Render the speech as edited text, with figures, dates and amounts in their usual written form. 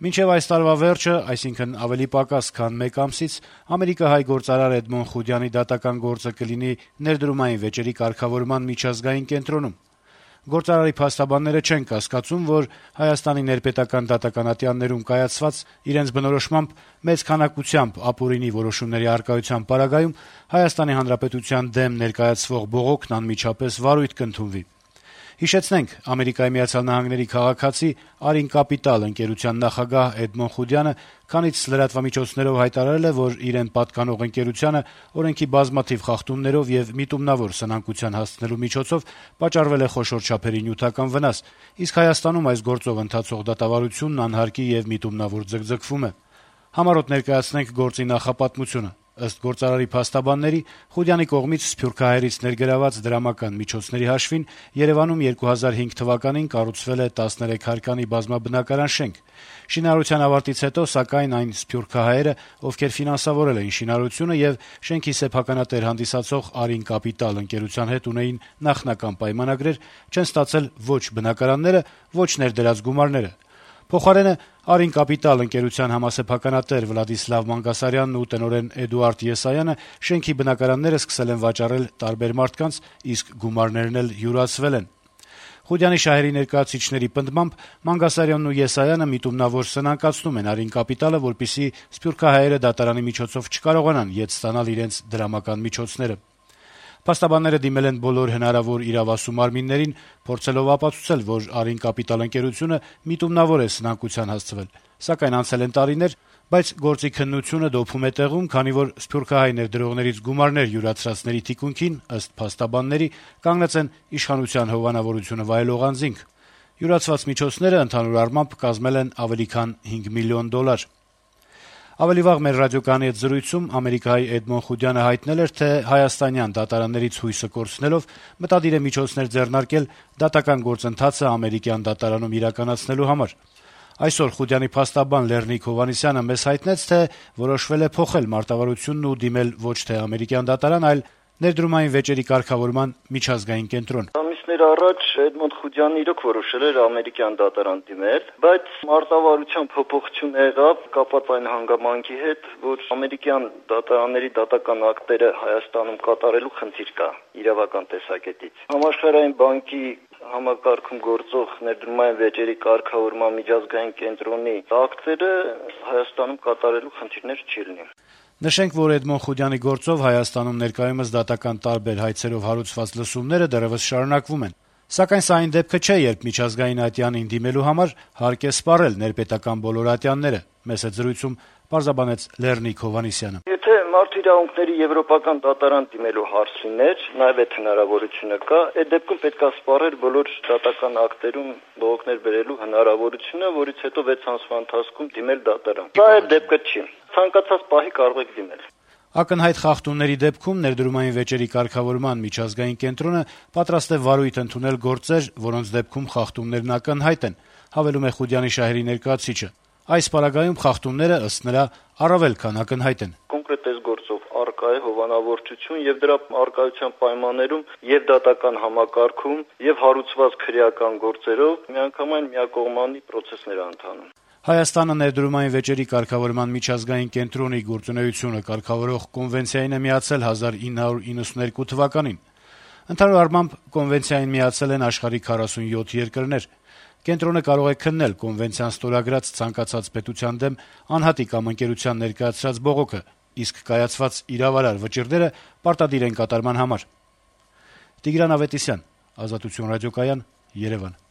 Մինչև այս տարվա վերջը, այսինքն ավելի պակաս քան մեկ ամսից, ամերիկահայ գործարար Էդմոն Խուդյանի դատական գործը կլինի ներդրումային վեճերի կարգավորման միջազգային կենտրոնում։ Գործարարի փաստաբանները չեն կասկածում, որ Հայաստանի ներպետական դատականատյաններում կայացված իրենց բնորոշմամբ մեծ քանակությամբ ապօրինի որոշումների առկայության պարագայում Հայաստանի Հանրապետության դեմ ներկայացվող բողոքն անմիջապես վարույթ կընդունվի։ Հիշեցնենք, Ամերիկայի Միացյալ Նահանգների քաղաքացի «Արին Կապիտալ» ընկերության նախագահ Էդմոն Խուդյանը քանից լրատվամիջոցներով հայտարարել է, որ իրեն պատկանող ընկերությանը օրենքի բազմաթիվ խախտումներով եւ միտումնավոր սնանկության հասցնելու միջոցով պատճառվել է խոշոր չափերի նյութական վնաս, իսկ Հայաստանում այս գործով ընթացող դատավարությունն անհարկի եւ միտումնավոր ձգձգվում է։ Համառոտ ներկայացնենք գործի նախապատմությունը։ Ըստ գործարարի փաստաբանների, Խուդյանի կողմից սփյուռքահայերից ներգրաված դրամական միջոցների հաշվին Երեւանում 2005 թվականին կառուցվել է 13 հարկանի բազմաբնակարան շենք։ Շինարարության ավարտից հետո, սակայն, այն սփյուռքահայերը, ովքեր ֆինանսավորել էին շինարարությունը եւ շենքի սեփականատեր հանդիսացող «Արին Կապիտալ» ընկերության հետ ունեին նախնական պայմանագրեր, չեն ստացել ոչ բնակարանները, ոչ ներդրած գումարները։ Փոխարենը «Արին Կապիտալ» ընկերության համասեփականատեր Վլադիսլավ Մանգասարյանն ու տնօրեն Էդուարդ Եսայանը շենքի բնակարանները սկսել են վաճառել տարբեր մարդկանց, իսկ գումարներն էլ յուրացվել են։ Խուդյանի շահերի ներկայացուցիչների պնդմամբ Մանգասարյանն ու Եսայանը միտումնավոր սնանկացնում են «Արին Կապիտալը», որպեսզի սփյուռքահայերը դատարանի միջոցով չկարողանան ետ ստանալ իրենց դրամական միջոցները։ Փաստաբանները դիմել են բոլոր հնարավոր իրավասու մարմիններին, փորձելով ապացուցել, որ «Արին Կապիտալ» ընկերությունը միտումնավոր է սնանկության հասցվել, սակայն անցել են տարիներ, բայց գործի քննությունը դոփում է տեղում, քանի որ սփյուռքահայ ներդրողներից գումարներ յուրացրածների թիկունքին, ըստ փաստաբանների, կանգնած են իշխանության հովանավորությունը վայելող անձինք։ Յուրացված միջոցները ընդհանուր առմամբ կազմել են ավելի քան $5 միլիոն։ Ավելի վաղ մեր ռադիոկայանի հետ զրույցում ամերիկահայ Էդմոն Խուդյանը հայտնել էր, թե հայաստանյան դատարաններից հույսը կորցնելով մտադիր է միջոցներ ձեռնարկել դատական գործընթացը ամերիկյան դատարանում իրականացնելու համար։ Այսօր Խուդյանի փաստաբան Լեռնիկ Հովհաննիսյանը մեզ հայտնեց, թե որոշվել է փոխել մարտավարությունն ու դիմել ոչ թե ամերիկյան դատարան, այլ ներդրումային վեճերի կարգավորման միջազգային կենտրոն։ Ամիսներ առաջ Էդմոն Խուդյանն իրոք որոշել էր ամերիկյան դատարան դիմել, բայց մարտավարության փոփոխություն եղավ կապված այն հանգամանքի հետ, որ ամերիկյան դատարանների դատական ակտերը Հայաստանում կատարելու խնդիր կա իրավական տեսակետից։ Համաշխարհային բանկի համակարգում գործող ներդրումային վեճերի կարգավորման միջազգային կենտրոնի ակտերը Հայաստանում կատարելու խնդիրներ չի լինի։ Նշենք, որ Էդմոն Խուդյանի գործով Հայաստանում ներկայումս դատական տարբեր հայցերով հարուցված լսումները դեռևս շարունակվում են։ Սակայն սա այն դեպքը չէ, երբ միջազգային ատյանին դիմելու համար հարկ է սպառել ներպետական բոլոր ատյանները, մեծ զրույցում պարզաբանեց Լեռնիկ Հովհաննիսյանը։ Եթե մարդու իրավունքների եվրոպական դատարան դիմելու հարց լիներ, նաև այդ հնարավորությունը կա, այդ դեպքում պետք է սպառել բոլոր դատական ակտերում բողոքներ բերելու հնարավորությունը, որից հետո 6 ամսվա ընթացքում դիմել դատարան։ Սա այդ դեպքը չի։ Ցանկացած պահի կարող եք դիմել։ Ակնհայտ խախտումների դեպքում ներդրումային վեճերի կարգավորման միջազգային կենտրոնը պատրաստ է վարույթ ընդունել գործեր, որոնց դեպքում խախտումներն ակնհայտ են, հավելում է Խուդյանի շահերի ներկայացուցիչը։ Այս պարագայում խախտումները, ըստ նրա, առավել քան ակնհայտ են։ Կոնկրետ այս գործով առկա է հովանավորչություն եւ դրա առկայության պայմաններում եւ դատական համակարգում եւ հարուցված քրեական գործերով միանգամայն միակողմանի process-ներ ընթանում։ Հայաստանը ներդրումային վեճերի կարգավորման միջազգային կենտրոնի գործունեությունը կարգավորող կոնվենցիային է միացել 1992 թվականին։ Ընդհանուր առմամբ կոնվենցիային միացել են աշխարհի 47 երկրներ։ Կենտրոնը կարող է քննել կոնվենցիան ստորագրած ցանկացած պետության դեմ անհատի կամ ընկերության ներկայացրած բողոքը, իսկ կայացված իրավարար վճիռները պարտադիր են կատարման համար։ Տիգրան Ավետիսյան, Ազատություն ռադիոկայան, Երևան։